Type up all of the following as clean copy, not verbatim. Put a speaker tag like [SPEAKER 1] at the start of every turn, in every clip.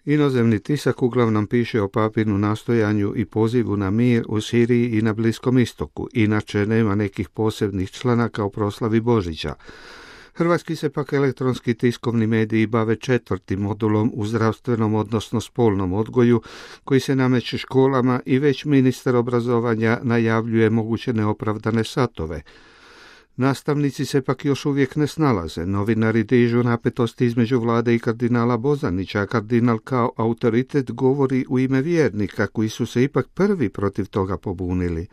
[SPEAKER 1] Inozemni tisak uglavnom piše o papinu nastojanju i pozivu na mir u Siriji i na Bliskom istoku, inače nema nekih posebnih članaka o proslavi Božića. Hrvatski se pak elektronski tiskovni mediji bave 4. modulom u zdravstvenom odnosno spolnom odgoju koji se nameće školama i već ministar obrazovanja najavljuje moguće neopravdane satove. Nastavnici se pak još uvijek ne snalaze. Novinari dižu napetosti između vlade i kardinala Bozanića, a kardinal kao autoritet govori u ime vjernika koji su se ipak prvi protiv toga pobunili.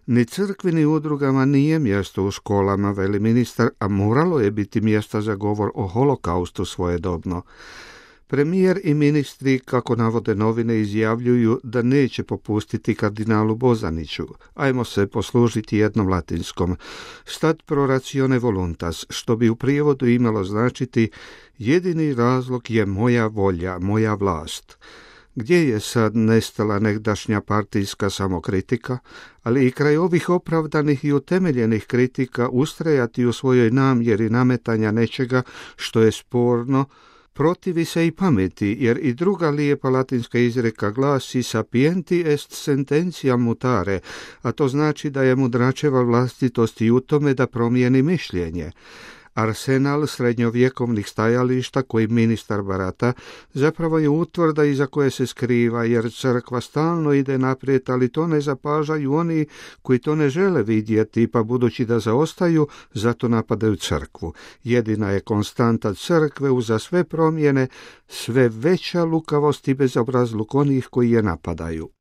[SPEAKER 1] Ni crkvi ni udrugama nije mjesto u školama, veli ministar, a moralo je biti mjesta za govor o holokaustu svojedobno. Premijer i ministri, kako navode novine, izjavljuju da neće popustiti kardinalu Bozaniću. Ajmo se poslužiti jednom latinskom. Stat pro ratione voluntas, što bi u prijevodu imalo značiti jedini razlog je moja volja, moja vlast. Gdje je sad nestala negdašnja partijska samokritika, ali i kraj ovih opravdanih i utemeljenih kritika ustrajati u svojoj namjeri nametanja nečega što je sporno, protivi se i pameti, jer i druga lijepa latinska izreka glasi sapienti est sententia mutare, a to znači da je mudračeva vlastitost i u tome da promijeni mišljenje. Arsenal srednjovjekovnih stajališta koji ministar barata zapravo je utvrda iza koje se skriva, jer crkva stalno ide naprijed, ali to ne zapažaju oni koji to ne žele vidjeti, pa budući da zaostaju, zato napadaju crkvu. Jedina je konstanta crkve uza sve promjene, sve veća lukavost i bezobrazluk onih koji je napadaju.